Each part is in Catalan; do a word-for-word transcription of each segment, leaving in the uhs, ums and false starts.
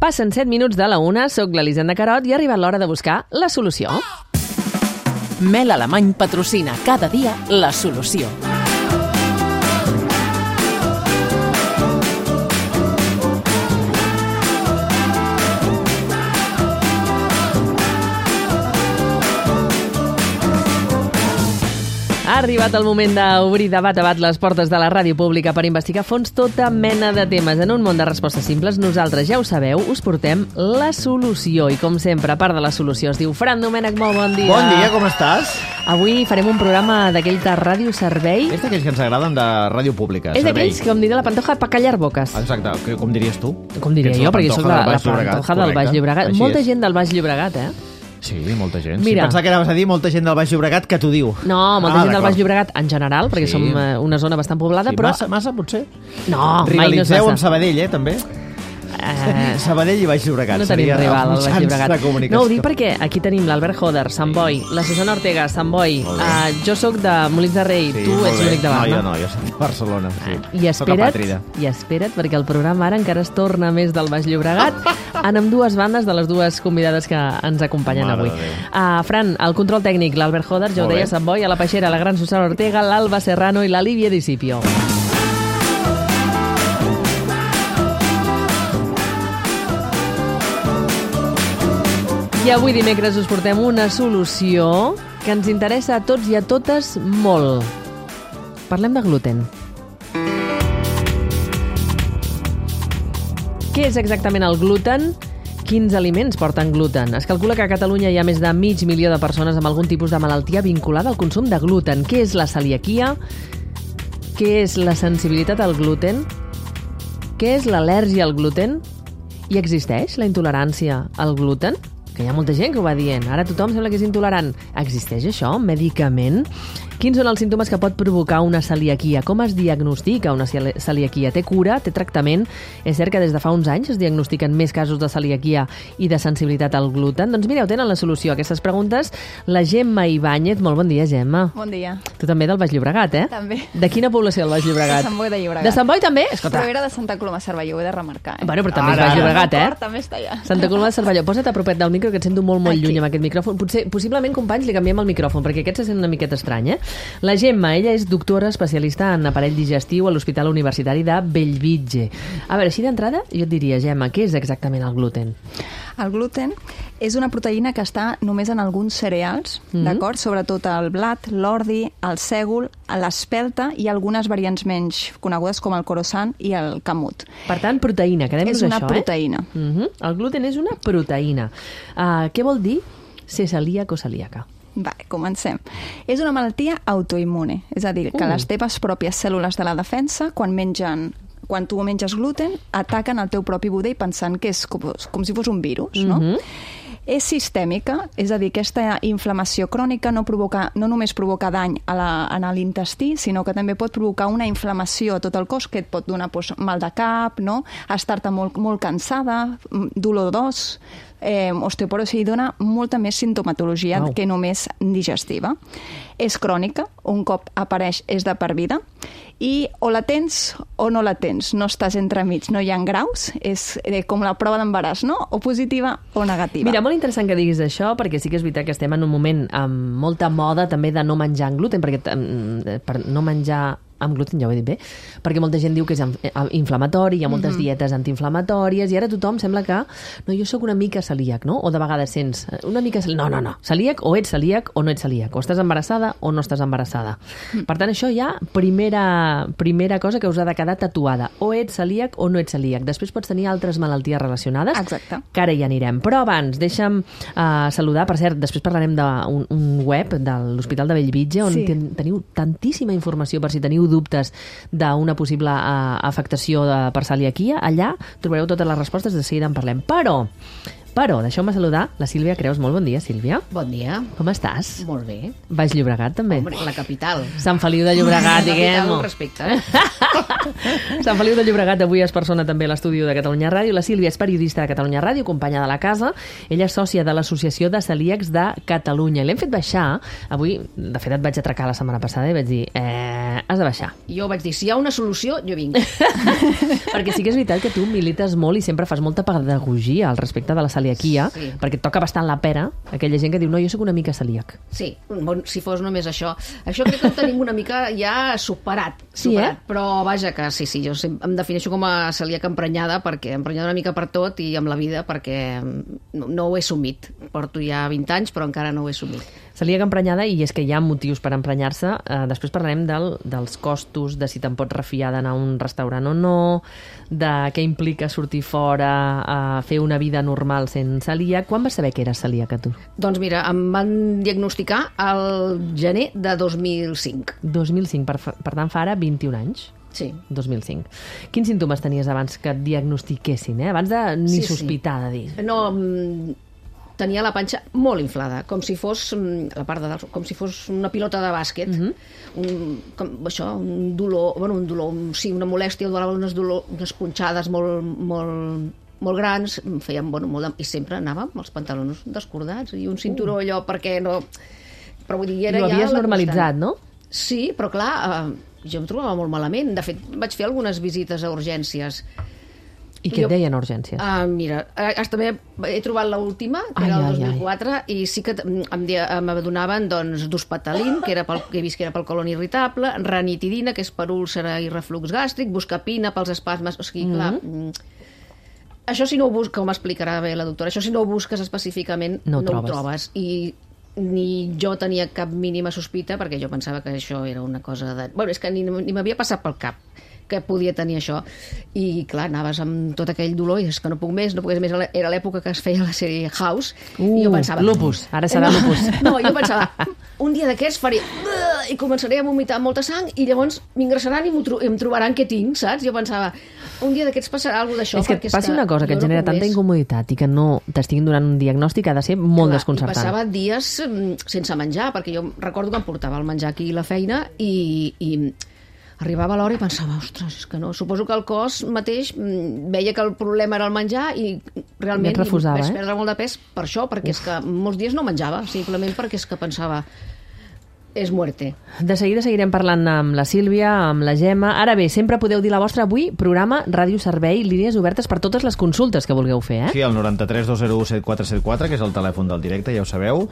Passen set minuts de la una, soc l'Elisenda Carot i ha arribat l'hora de buscar la solució. Mel Alemany patrocina cada dia la solució. Ha arribat el moment d'obrir de bat a bat les portes de la ràdio pública per investigar a fons tota mena de temes. En un món de respostes simples, nosaltres, ja ho sabeu, us portem la solució. I com sempre, a part de la solució, es diu Fran Domènech, molt bon dia. Bon dia, com estàs? Avui farem un programa d'aquell de ràdio servei. És d'aquells que ens agraden de ràdio pública. És d'aquells, com diria la Pantoja, pa callar boques. Exacte, com diries tu? Com diria jo, perquè soc la, la Pantoja del Baix Llobregat. Així molta és. gent del Baix Llobregat, eh? Sí, molta gent. Mira. Si pensava que anaves a dir molta gent del Baix Llobregat que t'ho diu. No, molta ah, gent del Baix Llobregat en general, perquè Sí. som eh, una zona bastant poblada, Sí, però... massa, massa, potser? No, mai no és Rivalitzeu amb massa. Sabadell, eh, també? Eh, Sabadell i Baix Llobregat. No tenim seria rival al els Baix mitjans Llobregat. de comunicació. No, ho dic perquè aquí tenim l'Albert Joder, Sant Boi, la Susana Ortega, Sant Boi, Molt bé. uh, jo sóc de Molins de Rei, Sí, tu molt ets bé. l'únic de No, Barna. jo no, jo soc de Barcelona. Sí. I Soc espera't, apàtrida. i espera't, perquè el programa ara encara es torna més del Baix Llobregat en amb dues bandes de les dues convidades que ens acompanyen Mare avui. de Déu. Uh, Fran, el control tècnic, l'Albert Joder, jo ho Molt deia, bé. Sant Boi, a la Peixera, la gran Susana Ortega, l'Alba Serrano i la Lívia Discipio. I avui dimecres us portem una solució que ens interessa a tots i a totes molt. Parlem de gluten. Què és exactament el gluten? Quins aliments porten gluten? Es calcula que a Catalunya hi ha més de mig milió de persones amb algun tipus de malaltia vinculada al consum de gluten. Què és la celiaquia? Què és la sensibilitat al gluten? Què és l'al·lèrgia al gluten? I existeix la intolerància al gluten? Que hi ha molta gent que ho va dient. Ara tothom sembla que és intolerant. Existeix això? Medicament? Quins són els símptomes que pot provocar una celiaquia? Com es diagnostica una celi- celiaquia? Té cura? Té tractament? És cert que des de fa uns anys es diagnostiquen més casos de celiaquia i de sensibilitat al gluten? Doncs mireu, tenen la solució a aquestes preguntes. La Gemma Ibáñez. Molt bon dia, Gemma. Bon dia. Tu també del Baix Llobregat, eh? També. De quina població del Baix Llobregat? De Sant Boi de Llobregat. De Sant Boi també? Escolta. Però era de Santa Coloma de Cervelló, ho he de remarcar. Eh? Bueno, però també és Ara, Baix ara. Llobregat, eh? Cor, també està allà. Santa Coloma de Cervelló. Posa't a propet del micro, que et sento molt, molt Aquí. lluny amb aquest micròfon. Potser, possiblement, companys, li canviem el micròfon, perquè aquest se sent una miqueta estrany, eh? La Gemma, ella és doctora especialista en aparell digestiu a l'Hospital Universitari de Bellvitge. A veure, així d'entrada, jo et diria, Gemma, què és exactament el gluten? El gluten és una proteïna que està només en alguns cereals, Mhm. d'acord? Sobretot el blat, l'ordi, el sègol, l'espelta i algunes variants menys conegudes com el croissant i el camut. Per tant, proteïna, quedem-nos És una això, proteïna. eh? Uh -huh. El gluten és una proteïna. Uh, què vol dir ser celíac o celíaca? Vale, comencem. És una malaltia autoimmune, és a dir, que Uh. les teves pròpies cèl·lules de la defensa, quan mengen quan tu menges gluten, ataquen el teu propi budell pensant que és com, com si fos un virus, no? Mhm. És sistèmica, és a dir, aquesta inflamació crònica no, provoca, no només provoca dany a la, a l'intestí, sinó que també pot provocar una inflamació a tot el cos, que et pot donar doncs, mal de cap, no? Estar-te molt, molt cansada, dolor d'os, eh, osteoporosi, i dona molta més sintomatologia Wow. que només digestiva. És crònica, un cop apareix és de per vida, i o la tens o no la tens, no estàs entremig, no hi ha graus, és eh, com la prova d'embaràs, no? O positiva o negativa. Mira, molt interessant que diguis això, perquè sí que és veritat que estem en un moment amb molta moda també de no menjar gluten, perquè mm, per no menjar amb gluten, ja ho he dit bé, perquè molta gent diu que és inflamatori, hi ha moltes mm-hmm. dietes antiinflamatòries, i ara tothom sembla que no, jo sóc una mica celíac, no? O de vegades sents una mica celíac. No, no, no. Celíac o ets celíac o no ets celíac. O estàs embarassada o no estàs embarassada. Mm. Per tant, això ja, primera, primera cosa que us ha de quedar tatuada. O ets celíac o no ets celíac. Després pots tenir altres malalties relacionades. Exacte. Que ara hi anirem. Però abans, deixa'm uh, saludar. Per cert, després parlarem d'un un web de l'Hospital de Bellvitge on Sí. ten, teniu tantíssima informació per si teniu dubtes d'una possible uh, afectació de, per celiaquia. Allà trobareu totes les respostes, de seguida en parlem. Però Però deixeu-me saludar la Sílvia Creus. Molt bon dia, Sílvia. Bon dia. Com estàs? Molt bé. Baix Llobregat, també? Hombre, la capital. Sant Feliu de Llobregat, diguem-ho. La capital, respecte. Eh? Sant Feliu de Llobregat avui es persona també a l'estudi de Catalunya Ràdio. La Sílvia és periodista de Catalunya Ràdio, companya de la casa. Ella és sòcia de l'Associació de Celíacs de Catalunya. L'hem fet baixar. Avui, de fet, et vaig atracar la setmana passada i vaig dir, eh, has de baixar. Jo vaig dir, si hi ha una solució, jo vinc. Perquè sí que és veritat que tu milites molt i sempre fas molta pedagogia al respecte de la celiaquia, Sí. perquè et toca bastant la pera aquella gent que diu, no, jo sóc una mica celíac. Sí, bon, si fos només això. Això crec que ho tenim una mica ja superat. Sí, superat. eh? Però vaja que sí, sí, jo sempre em defineixo com a celíaca emprenyada, perquè emprenyada una mica per tot i amb la vida, perquè no, no ho he assumit. Porto ja vint anys, però encara no ho he assumit. Celíac emprenyada, i és que hi ha motius per emprenyar-se. Eh, després parlarem del, dels costos, de si te'n pots refiar d'anar a un restaurant o no, de què implica sortir fora, a fer una vida normal sense celíac. Quan vas saber que eres celíaca, tu? Doncs mira, em van diagnosticar al gener de dos mil cinc. dos mil cinc, per, fa- per tant fa ara vint-i-un anys. Sí. dos mil cinc. Quins símptomes tenies abans que et diagnostiquessin, eh? Abans de ni Sí, sí. sospitar de dir. No, mm, tenia la panxa molt inflada, com si fos mm, la part de dalt, com si fos una pilota de bàsquet. Mhm. un, com, això, un dolor, bueno, un dolor, un, sí, una molèstia, unes, dolor, unes punxades molt, molt, molt grans, em feien, bueno, molt de, i sempre anava amb els pantalons descordats i un cinturó allò perquè no... Però vull dir, era I ho ja havies la normalitzat, constant. no? Sí, però clar, eh, jo em trobava molt malament. De fet, vaig fer algunes visites a urgències. I què Jo- et deien a urgències? Ah, mira, eh, també he trobat l'última, que Ai, era el ai, dos mil quatre, i sí que mm, em, dia- em donaven doncs, duspatalin, que, era pel, que he vist que era pel colon irritable, ranitidina, que és per úlcera i reflux gàstric, buscapina pels espasmes... O sigui, clar, mm, això si no ho busques, com explicarà bé la doctora, això si no ho busques específicament No ho no trobes. ho trobes. I ni jo tenia cap mínima sospita, perquè jo pensava que això era una cosa de... Bueno, és que ni, ni m'havia passat pel cap que podia tenir això. I, clar, anaves amb tot aquell dolor i és que no puc més, no puc més. Era l'època que es feia la sèrie House. Uh, I jo pensava... lupus, ara serà no, lupus. No, jo pensava, un dia d'aquests faré... i començaré a vomitar molta sang i llavors m'ingressaran i, tro i em trobaran què tinc, saps? Jo pensava, un dia d'aquests passarà alguna d'això. És que et passi una cosa que et genera tanta incomoditat i que no t'estiguin donant un diagnòstic ha de ser molt Clar, desconcertant. I passava dies mm, sense menjar, perquè jo recordo que em portava el menjar aquí a la feina i, i arribava l'hora i pensava, ostres, és que no, suposo que el cos mateix mm, veia que el problema era el menjar i realment I et refusava, vaig eh? perdre molt de pes per això, perquè Uf. és que molts dies no menjava, simplement perquè és que pensava, és muerte. De seguida seguirem parlant amb la Sílvia, amb la Gemma. Ara bé, sempre podeu dir la vostra. Avui, programa Ràdio Servei, línies obertes per totes les consultes que vulgueu fer, eh? Sí, el noranta-tres dos zero u set quatre set quatre, que és el telèfon del directe, ja ho sabeu,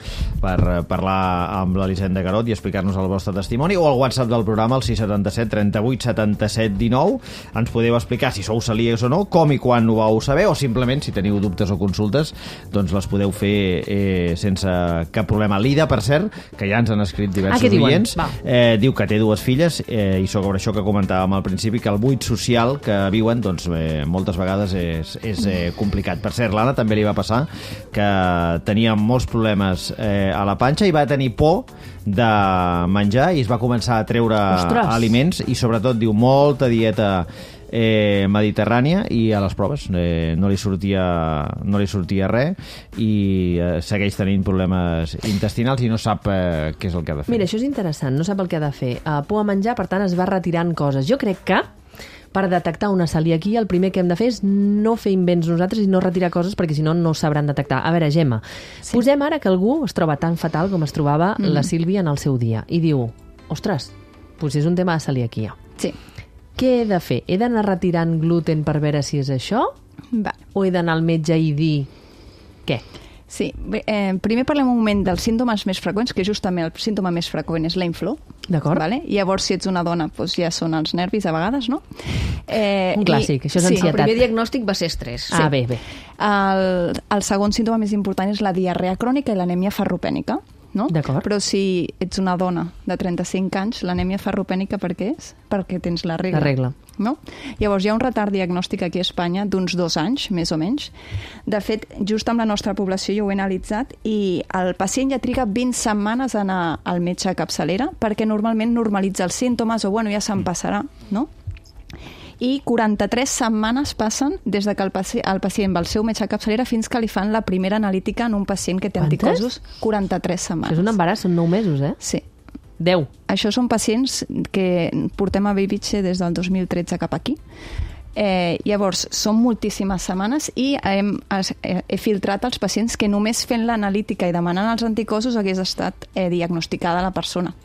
per eh, parlar amb l'Elisenda Garot i explicar-nos el vostre testimoni, o el WhatsApp del programa, el sis setanta set trenta-vuit setanta-set dinou. Ens podeu explicar si sou celíacs o no, com i quan ho vau saber, o simplement, si teniu dubtes o consultes, doncs les podeu fer eh, sense cap problema. L'Ida, per cert, que ja ens han escrit diversos Ah, què diuen? oients, Va. eh, diu que té dues filles eh, i sobre això que comentàvem al principi, que el buit social que viuen doncs, eh, moltes vegades és, és eh, complicat. Per cert, l'Anna també li va passar que tenia molts problemes eh, a la panxa i va tenir por de menjar i es va començar a treure Ostres. aliments i sobretot diu molta dieta eh, mediterrània i a les proves eh, no li sortia no li sortia res i eh, segueix tenint problemes intestinals i no sap eh, què és el que ha de fer. Mira, això és interessant, no sap el que ha de fer. Uh, por a menjar, per tant, es va retirant coses. Jo crec que per detectar una celiaquia el primer que hem de fer és no fer invents nosaltres i no retirar coses perquè si no no sabran detectar. A veure, Gemma, sí. Posem ara que algú es troba tan fatal com es trobava mm. la Sílvia en el seu dia i diu, ostres, doncs és un tema de celiaquia. Sí. Què he de fer? He d'anar retirant gluten per veure si és això? Va. O he d'anar al metge i dir què? Sí, bé, eh, primer parlem un moment dels símptomes més freqüents, que justament el símptoma més freqüent és la inflor. D'acord. Vale? Llavors, si ets una dona, doncs ja són els nervis a vegades, no? Eh, Un clàssic, això és sí, ansietat. El primer diagnòstic va ser estrès. Ah, bé, bé. El, el segon símptoma més important és la diarrea crònica i l'anèmia ferropènica. No? D'acord. Però si ets una dona de trenta-cinc anys, l'anèmia ferropènica per què és? Perquè tens la regla. La regla. No? Llavors hi ha un retard diagnòstic aquí a Espanya d'uns dos anys, més o menys. De fet, just amb la nostra població jo ho he analitzat i el pacient ja triga vint setmanes a anar al metge a capçalera perquè normalment normalitza els símptomes o bueno, ja se'n passarà, no? i quaranta-tres setmanes passen des de que el pacient, el pacient va al seu metge de capçalera fins que li fan la primera analítica en un pacient que té Quantes? anticossos. quaranta-tres setmanes. Això és un embaràs, són nou mesos, eh? Sí. deu. Això són pacients que portem a Babyche des del dos mil tretze cap aquí. Eh, llavors, són moltíssimes setmanes i hem, he, he filtrat els pacients que només fent l'analítica i demanant els anticossos hagués estat eh, diagnosticada la persona.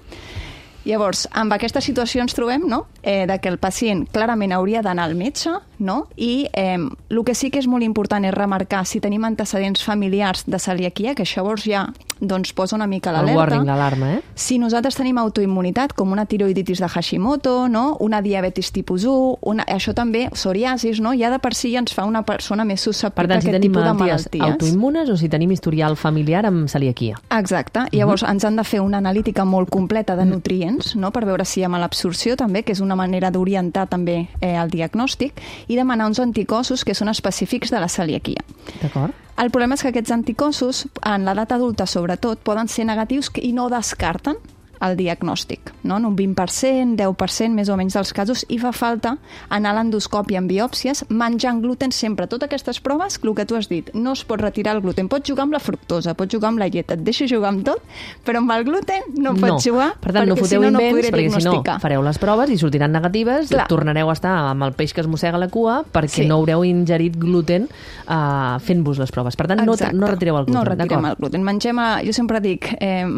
Llavors, amb aquesta situació ens trobem, no?, eh, de que el pacient clarament hauria d'anar al metge, no?, i eh, el que sí que és molt important és remarcar si tenim antecedents familiars de celiaquia, que això llavors ja doncs, posa una mica l'alerta. El warning, l'alarma, eh? Si nosaltres tenim autoimmunitat, com una tiroiditis de Hashimoto, no?, una diabetis tipus u, una, això també, psoriasis, no?, ja de per si ja ens fa una persona més susceptible a si aquest tipus de malalties. Per tant, si tenim malalties autoimmunes o si tenim historial familiar amb celiaquia. Exacte. Llavors, uh-huh. ens han de fer una analítica molt completa de nutrients, no?, per veure si hi ha malabsorció també, que és una manera d'orientar també eh, el diagnòstic, i demanar uns anticossos que són específics de la celiaquia. D'acord. El problema és que aquests anticossos, en l'edat adulta sobretot, poden ser negatius i no descarten el diagnòstic, no? En un vint per cent, deu per cent més o menys dels casos, i fa falta anar a l'endoscòpia amb biòpsies, menjant gluten sempre. Totes aquestes proves, el que tu has dit, no es pot retirar el gluten. Pots jugar amb la fructosa, pots jugar amb la llet, et deixo jugar amb tot, però amb el gluten no pots no. jugar, per tant, perquè no si no, no podré perquè diagnosticar. Si no, fareu les proves i sortiran negatives, Clar. tornareu a estar amb el peix que es mossega la cua perquè Sí. no haureu ingerit gluten uh, fent-vos les proves. Per tant, no, no retireu el gluten. No retirem el gluten. Mengem, a, jo sempre dic, eh,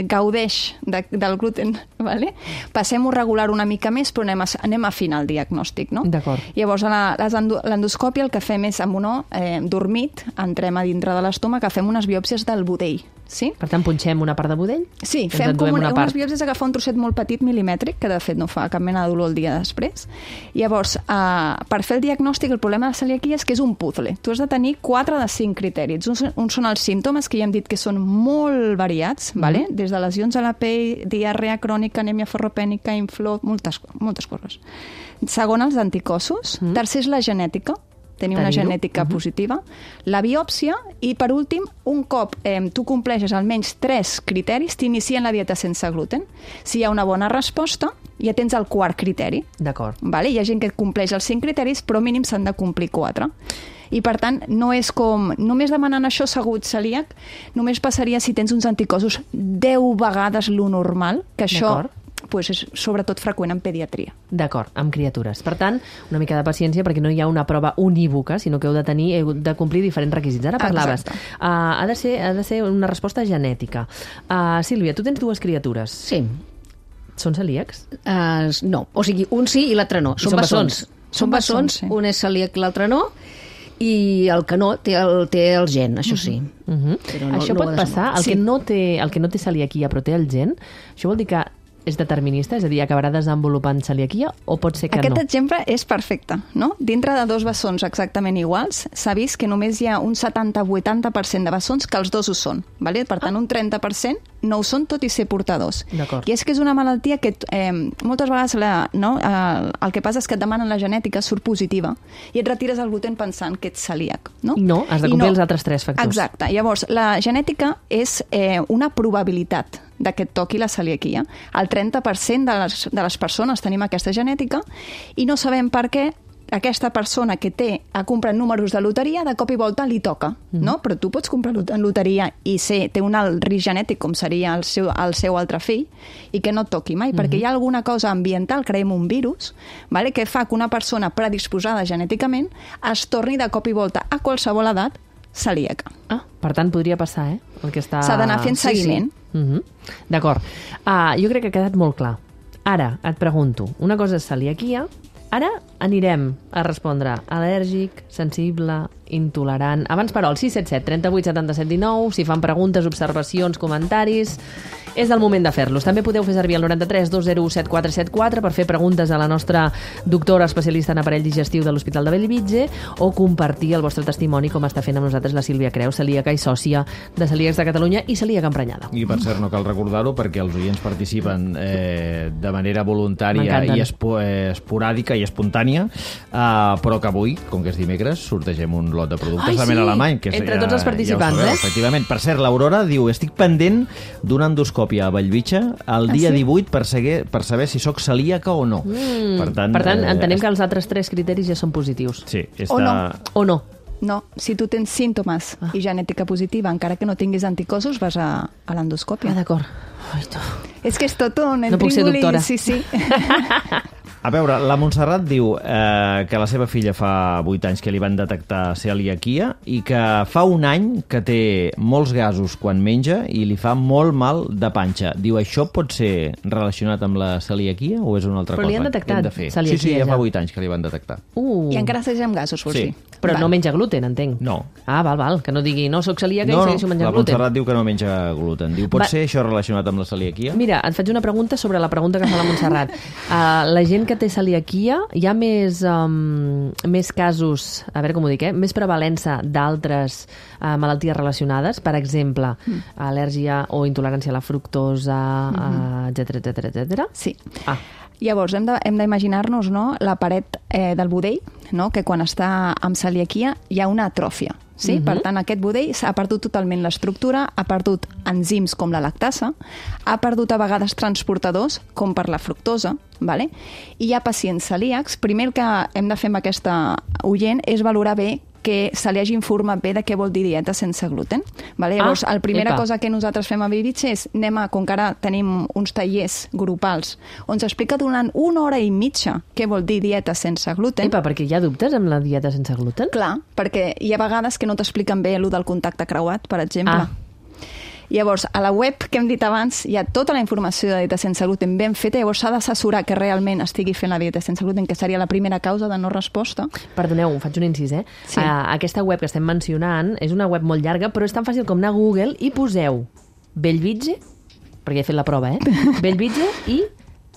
gaudeix de, del gluten, vale? Passem-ho regular una mica més, però anem a, anem a afinar el diagnòstic, no? D'acord. Llavors, a la- les endo- l'endoscòpia el que fem és, amb un eh, dormit, entrem a dintre de l'estómac, que fem unes biòpsies del budell, sí? Per tant, punxem una part de budell? Sí, ens fem enduem com una, una part. unes biòpsies d'agafar un trosset molt petit milimètric, que de fet no fa cap mena de dolor el dia després. Llavors, eh, per fer el diagnòstic, el problema de la celiaquia és que és un puzzle. Tu has de tenir quatre de cinc criteris. Uns, uns són els símptomes, que ja hem dit que són molt variats, mm. vale? Des de lesions a la pell, diarrea crònica, anèmia ferropènica, inflor, moltes, moltes coses. Segon, els anticossos. Mm. Tercer és la genètica, tenir una Tenir-ho. genètica uh-huh. positiva, la biòpsia i, per últim, un cop eh, tu compleixes almenys tres criteris, t'inicien la dieta sense gluten. Si hi ha una bona resposta, ja tens el quart criteri. D'acord. Vale? Hi ha gent que compleix els cinc criteris, però mínim s'han de complir quatre. I, per tant, no és com... Només demanant això segur celíac, només passaria si tens uns anticossos deu vegades lo normal, que això pues, és sobretot freqüent en pediatria. D'acord, amb criatures. Per tant, una mica de paciència perquè no hi ha una prova unívoca, sinó que heu de tenir, heu de complir diferents requisits. Ara parlaves. Uh, ha, de ser, ha de ser una resposta genètica. Uh, Sílvia, tu tens dues criatures. Sí. Són celíacs? Uh, no, o sigui, un sí i l'altre no. I Són, són bessons. bessons. Són bessons, sí. un és celíac i l'altre no, i el que no té el, té el gen, això sí. Uh -huh. Però no, això no ho pot ha passar? El, Sí. que no té, el que no té celiaquia però té el gen, això vol dir que és determinista? És a dir, acabarà desenvolupant celiaquia o pot ser que Aquest no? exemple és perfecte, no? Dintre de dos bessons exactament iguals, s'ha vist que només hi ha un setanta a vuitanta per cent de bessons que els dos ho són, vale? Per tant, un trenta per cent no ho són, tot i ser portadors. D'acord. I és que és una malaltia que eh, moltes vegades la, no, eh, el que passa és que et demanen la genètica, surt positiva, i et retires el gluten pensant que ets celíac. No, I no, has de I complir els altres tres factors. Exacte. Llavors, la genètica és eh, una probabilitat de que et toqui la celiaquia. El trenta per cent de les, de les persones tenim aquesta genètica i no sabem per què aquesta persona que té, ha comprat números de loteria, de cop i volta li toca, mm. no? Però tu pots comprar en loteria i ser, té un alt risc genètic, com seria el seu, el seu altre fill, i que no et toqui mai, mm-hmm. perquè hi ha alguna cosa ambiental, creiem un virus, vale? Que fa que una persona predisposada genèticament es torni de cop i volta a qualsevol edat celíaca. Ah, per tant, podria passar, eh? El que està... S'ha d'anar fent seguiment. Sí, sí. Uh-huh. D'acord. Uh, jo crec que ha quedat molt clar. Ara, et pregunto, una cosa és celiaquia, ara anirem a respondre al·lèrgic, sensible, intolerant... Abans, però, el sis set set, trenta-vuit, setanta-set, dinou, si fan preguntes, observacions, comentaris... És el moment de fer-los. També podeu fer servir el noranta-tres dos zero u set quatre set quatre per fer preguntes a la nostra doctora especialista en aparell digestiu de l'Hospital de Bellvitge o compartir el vostre testimoni com està fent amb nosaltres la Sílvia Creus, celíaca i sòcia de Celíacs de Catalunya i celíaca emprenyada. I per cert, no cal recordar-ho perquè els oients participen eh, de manera voluntària M'encanten. i espo, eh, esporàdica i espontània Ucrània, uh, però que avui, com que és dimecres, sortegem un lot de productes Ai, de mel sí! alemany. Que és, Entre tots els participants, ja sabeu, eh? Efectivament. Per cert, l'Aurora diu, estic pendent d'una endoscòpia a Bellvitge el dia Ah, sí? divuit per, seguir, per saber si sóc celíaca o no. Mm. Per tant, per tant eh, entenem que els altres tres criteris ja són positius. Sí, està... O no. O no? No, si tu tens símptomes Ah. i genètica positiva, encara que no tinguis anticossos, vas a, a l'endoscòpia. Ah, d'acord. Ai, tu. És que és tot un No puc ser intríngulis, doctora. Sí, sí. A veure, la Montserrat diu eh, que la seva filla fa vuit anys que li van detectar celiaquia i que fa un any que té molts gasos quan menja i li fa molt mal de panxa. Diu, això pot ser relacionat amb la celiaquia o és una altra Però cosa? li han que detectat hem de fer? celiaquia Sí, sí, ja ja. fa vuit anys que li van detectar. Uh. I encara segueix amb gasos, vols Sí. dir? Però Val. no menja gluten, entenc. No. Ah, val, val, que no digui, no, soc celíaca No, i no, segueixo menjant la gluten. Montserrat diu que no menja gluten. Diu, pot Va. ser això relacionat amb la celiaquia? Mira, et faig una pregunta sobre la pregunta que fa la Montserrat. Uh, la gent que té celiaquia, hi ha més, um, més casos, a veure com ho dic, eh? més prevalença d'altres uh, malalties relacionades, per exemple, mm. al·lèrgia o intolerància a la fructosa, mm-hmm. uh, etcètera, etcètera, etcètera. Sí. Ah, Llavors, hem de- hem d'imaginar-nos, no, la paret eh, del budell, no, que quan està amb celiaquia hi ha una atròfia. Sí? Mhm. Per tant, aquest budell s'ha perdut totalment l'estructura, ha perdut enzims com la lactasa, ha perdut a vegades transportadors com per la fructosa, vale? I hi ha pacients celíacs. Primer el que hem de fer amb aquesta oient és valorar bé que se li hagi informat bé de què vol dir dieta sense gluten. Vale? Llavors, Ah, la primera epa. cosa que nosaltres fem a Bellvitge és, anem a, com que ara tenim uns tallers grupals, on s'explica durant una hora i mitja què vol dir dieta sense gluten. epa, perquè hi ha dubtes amb la dieta sense gluten? Clar, perquè hi ha vegades que no t'expliquen bé allò del contacte creuat, per exemple. Ah. Llavors, a la web que hem dit abans hi ha tota la informació de dieta sense gluten ben feta, llavors s'ha d'assessorar que realment estigui fent la dieta sense gluten, que seria la primera causa de no resposta. Perdoneu, faig un incís, eh? Sí. Uh, aquesta web que estem mencionant és una web molt llarga, però és tan fàcil com anar a Google i poseu Bellvitge, perquè he fet la prova, eh? Bellvitge i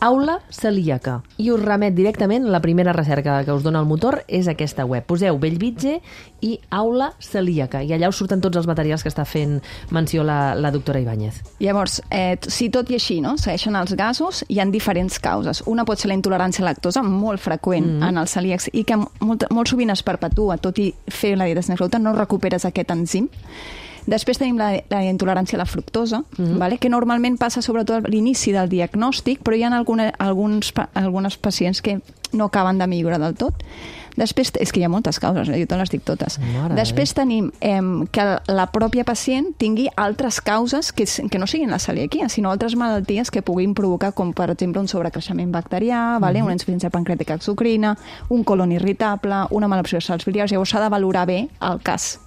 aula celíaca. I us remet directament, la primera recerca que us dona el motor és aquesta web. Poseu Bellvitge i aula celíaca, i allà us surten tots els materials que està fent menció la, la doctora Ibáñez. Llavors, eh, si tot i així no, segueixen els gasos, hi ha diferents causes. Una pot ser la intolerància a la lactosa, molt freqüent mm. en els celíacs, i que molt, molt sovint es perpetua, tot i fer la dieta sense gluten, no recuperes aquest enzim. Després tenim la, la intolerància a la fructosa, mm-hmm. vale? que normalment passa sobretot a l'inici del diagnòstic, però hi ha alguna, alguns, algunes pacients que no acaben de millorar del tot. Després, és que hi ha moltes causes, eh? Jo te les dic totes. Mare Després tenim eh, que la pròpia pacient tingui altres causes que, que no siguin la celiaquia, sinó altres malalties que puguin provocar, com per exemple un sobrecreixement bacterià, vale? una insuficiència pancreàtica exocrina, un colon irritable, una malabsorció de sals biliars. Llavors s'ha de valorar bé el cas.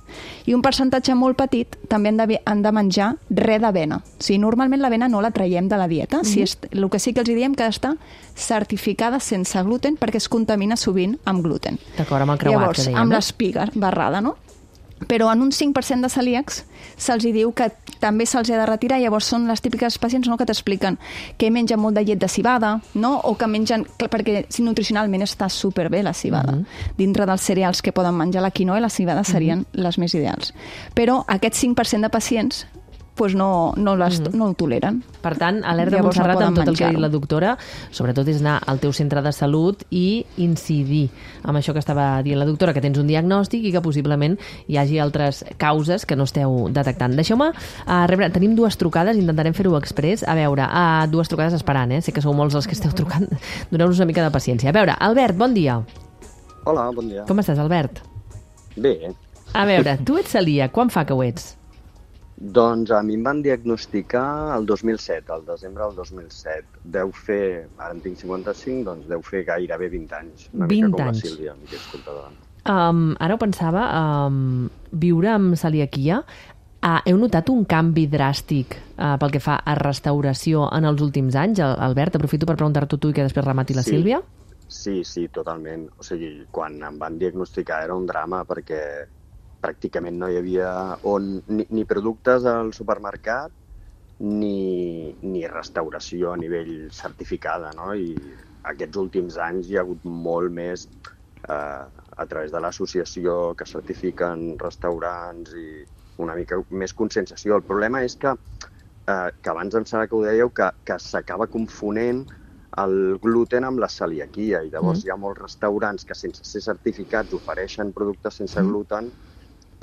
I un percentatge molt petit també han de, han de menjar res d'avena. O sigui, normalment l'avena no la traiem de la dieta. Mm-hmm. si és, el que sí que els diem que ha d'estar certificada sense gluten perquè es contamina sovint amb gluten. D'acord, amb el creuat, Llavors, que dèiem. amb no? l'espiga barrada, no? Però en un cinc per cent de celíacs se'ls hi diu que també se'ls ha de retirar. Llavors són les típiques pacients, no?, que t'expliquen que mengen molt de llet de civada, no?, o que mengen, perquè si nutricionalment està superbé la civada. Mm-hmm. Dintre dels cereals que poden menjar la quinoa i la civada serien mm-hmm. les més ideals. Però aquest cinc per cent de pacients pues no, no, les, mm-hmm. no ho toleren. Per tant, alerta Llavors no Montserrat poden amb tot el que ha dit menjar-ho. la doctora, sobretot és anar al teu centre de salut i incidir amb això que estava dient la doctora, que tens un diagnòstic i que possiblement hi hagi altres causes que no esteu detectant. Deixeu-me uh, rebre, tenim dues trucades, intentarem fer-ho express. A veure, uh, dues trucades esperant, eh? Sé que sou molts els que esteu trucant. Doneu-nos una mica de paciència. A veure, Albert, bon dia. Hola, bon dia. Com estàs, Albert? Bé, A veure, tu ets celíac, quan fa que ho ets? doncs a mi em van diagnosticar el dos mil set, el desembre del dos mil set. Deu fer, ara en tinc cinquanta-cinc, doncs deu fer gairebé vint anys. Una vint mica com anys. la Sílvia, que és comptadora. Um, ara ho pensava, um, viure amb celiaquia, uh, heu notat un canvi dràstic uh, pel que fa a restauració en els últims anys? Al- Albert, aprofito per preguntar-t'ho tu i que després remati la Sí. Sílvia. Sí, sí, totalment. O sigui, quan em van diagnosticar era un drama perquè pràcticament no hi havia on, ni, ni productes al supermercat ni, ni restauració a nivell certificada, no? I aquests últims anys hi ha hagut molt més eh, a través de l'associació que certifiquen restaurants i una mica més conscienciació. El problema és que, eh, que abans em sembla que ho dèieu, que, que s'acaba confonent el gluten amb la celiaquia, i llavors mm. hi ha molts restaurants que sense ser certificats ofereixen productes sense mm. gluten,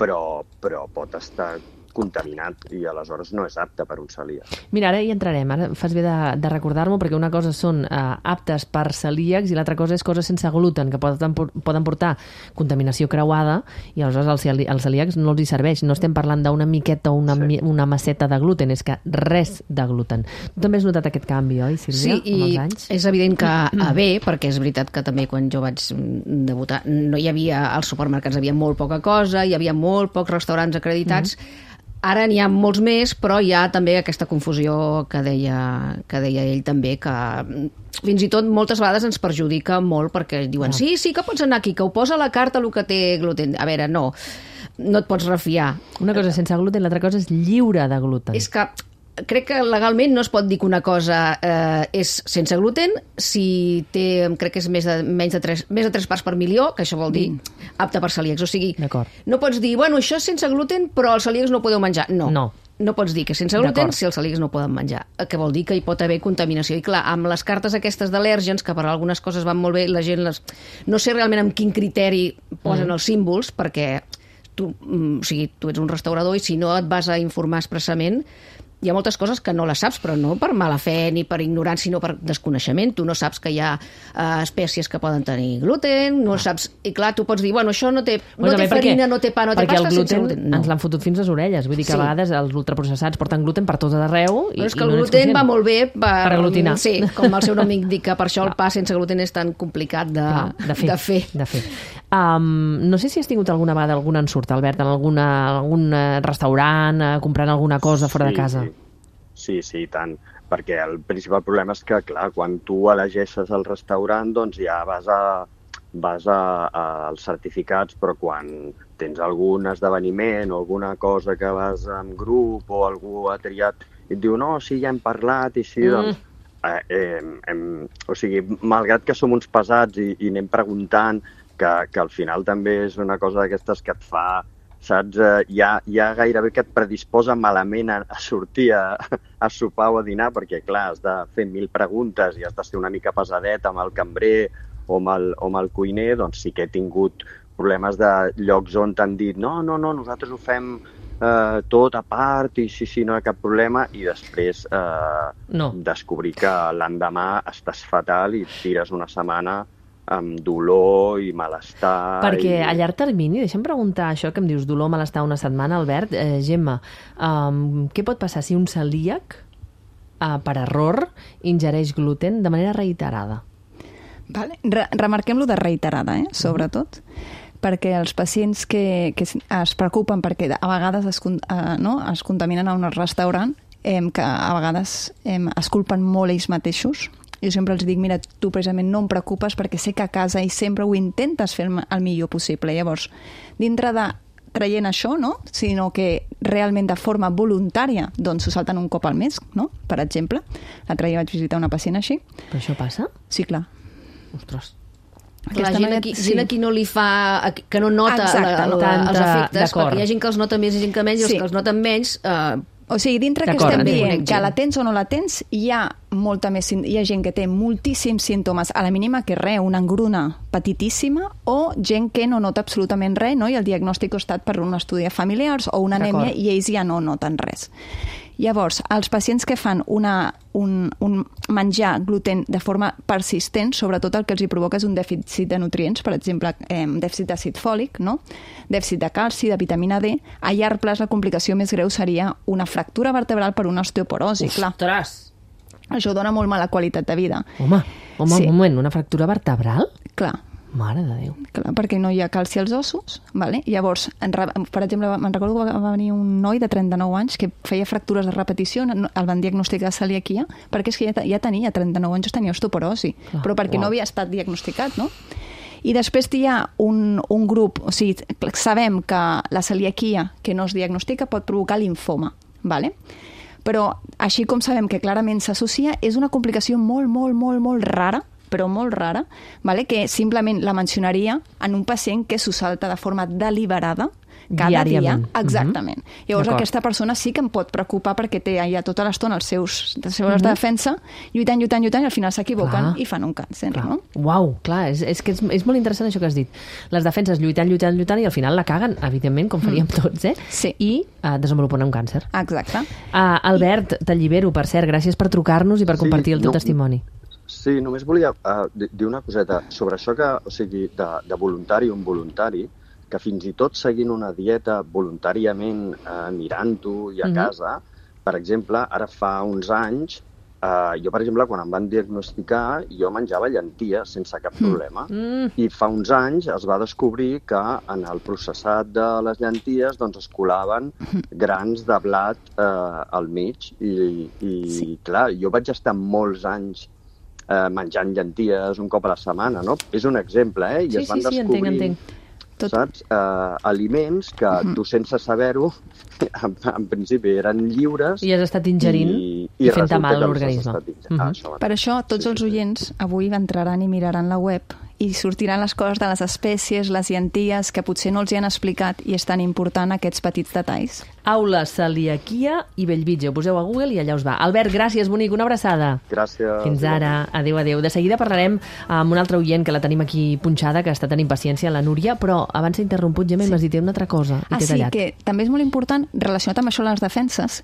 però, però pot estar contaminat i aleshores no és apte per un celíac. Mira, ara hi entrarem, ara fas bé de, de recordar-m'ho, perquè una cosa són eh, aptes per celíacs i l'altra cosa és coses sense gluten, que poden, poden portar contaminació creuada i aleshores als, als celíacs no els hi serveix. No estem parlant d'una miqueta o una, sí. una masseta de gluten, és que res de gluten. Tu també has notat aquest canvi, oi, Sílvia, sí, amb els anys? Sí, i és evident que a bé, perquè és veritat que també quan jo vaig debutar no hi havia, als supermercats hi havia molt poca cosa, hi havia molt pocs restaurants acreditats. Mm-hmm. Ara n'hi ha molts més, però hi ha també aquesta confusió que deia, que deia ell també, que fins i tot moltes vegades ens perjudica molt perquè diuen, sí, sí que pots anar aquí, que ho posa a la carta el que té gluten. A veure, no, no et pots refiar. Una cosa sense gluten, l'altra cosa és lliure de gluten. És que crec que legalment no es pot dir que una cosa eh, és sense gluten si té, crec que és més de, menys de tres, més de tres parts per milió, que això vol dir mm. apte per celíacs. O sigui, no pots dir, bueno, això és sense gluten, però els celíacs no podeu menjar. No. No. No pots dir que sense gluten si els celíacs no poden menjar, que vol dir que hi pot haver contaminació. I clar, amb les cartes aquestes d'al·lèrgens, que per algunes coses van molt bé, la gent les... no sé realment amb quin criteri posen mm. els símbols, perquè tu, o sigui, tu ets un restaurador i si no et vas a informar expressament, hi ha moltes coses que no les saps, però no per mala fe ni per ignorància, sinó per desconeixement. Tu no saps que hi ha uh, espècies que poden tenir gluten, no ah. saps... I clar, tu pots dir, bueno, això no té, no bueno, té farina, no té pa, no té pasta, gluten, sense gluten. No. Ens l'han fotut fins les orelles. Vull dir que sí. a vegades els ultraprocessats porten gluten per tot arreu. I, però és que i el no gluten va molt bé per, per aglutinar. Sí, com el seu nom indica, per això el pa sense gluten és tan complicat de, clar, de fer. De fer. De fer. Um, no sé si has tingut alguna vegada algun ensurt, Albert, en alguna, algun restaurant, uh, comprant alguna cosa fora sí, de casa. Sí. Sí, sí, tant, perquè el principal problema és que, clar, quan tu elegeixes el restaurant, doncs ja vas a, vas a, a als certificats, però quan tens algun esdeveniment o alguna cosa que vas en grup o algú ha triat i et diu, no, sí, ja hem parlat i sí, mm. doncs... Eh, eh, hem, o sigui, malgrat que som uns pesats i, i anem preguntant, que, que al final també és una cosa d'aquestes que et fa... saps? Eh, ja, ja gairebé que et predisposa malament a, a sortir a, a sopar o a dinar, perquè, clar, has de fer mil preguntes i has de ser una mica pesadet amb el cambrer o amb el, o amb el cuiner, doncs sí que he tingut problemes de llocs on t'han dit no, no, no, nosaltres ho fem eh, tot a part i sí, sí, no hi ha cap problema, i després eh, no. descobrir que l'endemà estàs fatal i et tires una setmana amb dolor i malestar. Perquè i... a llarg termini, deixa'm preguntar això que em dius, dolor, malestar una setmana, Albert, eh, Gemma, um, què pot passar si un celíac, uh, per error, ingereix gluten de manera reiterada? Vale. Re remarquem-lo de reiterada, eh? Sobretot, uh-huh. perquè els pacients que, que es preocupen perquè a vegades es, uh, no? es contaminen a un restaurant, eh, que a vegades eh, es culpen molt ells mateixos. Jo sempre els dic, mira, tu precisament no em preocupes perquè sé que a casa i sempre ho intentes fer el millor possible. Llavors, dintre de traient això, no? Sinó que realment de forma voluntària doncs s'ho salten un cop al mes, no? Per exemple. L'altre dia vaig visitar una pacient així. Però això passa? Sí, clar. Ostres. La gent aquí, sí. gent aquí no li fa... que no nota Exacte, la, la, tant, els efectes, perquè hi ha gent que els nota més i gent que menys, i sí. els que els noten menys... Eh, O sigui, dintre que estem dient que la tens o no la tens, hi ha molta més, hi ha gent que té moltíssims símptomes, a la mínima que res, una engruna petitíssima, o gent que no nota absolutament res, no? I el diagnòstic ha estat per un estudi de familiars o una anèmia i ells ja no noten res. Llavors, els pacients que fan una, un, un menjar gluten de forma persistent, sobretot el que els hi provoca és un dèficit de nutrients, per exemple, eh, dèficit d'àcid fòlic, no? Dèficit de calci, de vitamina D. A llarg plaç la complicació més greu seria una fractura vertebral per una osteoporosi. Ostres! Clar. Això dona molt mala qualitat de vida. Home, home sí. un moment, una fractura vertebral? Clar. Mare de Déu. Clar, perquè no hi ha calci als ossos, vale? Llavors, en, per exemple, me'n recordo que va venir un noi de trenta-nou anys que feia fractures de repetició, el van diagnosticar celiaquia, perquè és que ja, ja tenia trenta-nou anys, tenia osteoporosi, clar, però perquè wow. no havia estat diagnosticat, no? I després hi ha un, un grup, o sigui, sabem que la celiaquia que no es diagnostica pot provocar linfoma, vale? Però així com sabem que clarament s'associa, és una complicació molt, molt, molt, molt rara, però molt rara, vale? Que simplement la mencionaria en un pacient que s'ho salta de forma deliberada, cada diàriament. dia, exactament. Uh-huh. Llavors aquesta persona sí que em pot preocupar perquè té ja tota l'estona els seus, les seves uh-huh. de defensa, lluitant, lluitant, lluitant, i al final s'equivoquen i fan un càncer, clar. no? Uau, clar, és, és que és, és molt interessant això que has dit. Les defenses lluitant, lluitant, lluitant, i al final la caguen, evidentment, com faríem mm. tots, eh? Sí. I uh, desenvolupen un càncer. Exacte. Uh, Albert, I... t'allibero, per cert, gràcies per trucar-nos i per sí, compartir el teu no, testimoni. Sí, només volia uh, dir una coseta sobre això que, o sigui, de, de voluntari o involuntari, que fins i tot seguint una dieta voluntàriament eh, mirant-ho i a mm-hmm. casa, per exemple, ara fa uns anys, eh, jo, per exemple, quan em van diagnosticar, jo menjava llenties sense cap problema. Mm. I fa uns anys es va descobrir que en el processat de les llenties doncs, es colaven grans de blat eh, al mig. I, i sí. clar, jo vaig estar molts anys eh, menjant llenties un cop a la setmana, no? És un exemple, eh? I sí, es van sí, sí, descobrir... entenc, entenc. Tot. Saps? Uh, aliments que uh-huh. tu sense saber-ho en, en principi eren lliures i has estat ingerint i, i, i fent mal a l'organisme. Uh-huh. Ah, això per això tots sí, els oients avui entraran i miraran la web i sortiran les coses de les espècies, les llenties, que potser no els hi han explicat i és tan important aquests petits detalls. Aula, celiaquia i Bellvitge. Ho poseu a Google i allà us va. Albert, gràcies, bonic, una abraçada. Gràcies. Fins ara. Adéu, adéu. De seguida parlarem amb una altra oient que la tenim aquí punxada, que està tenint paciència, la Núria, però abans s'ha interromput, Gemma, sí. i m'has dit una altra cosa. I ah, sí, tallat. Que també és molt important, relacionat amb això les defenses,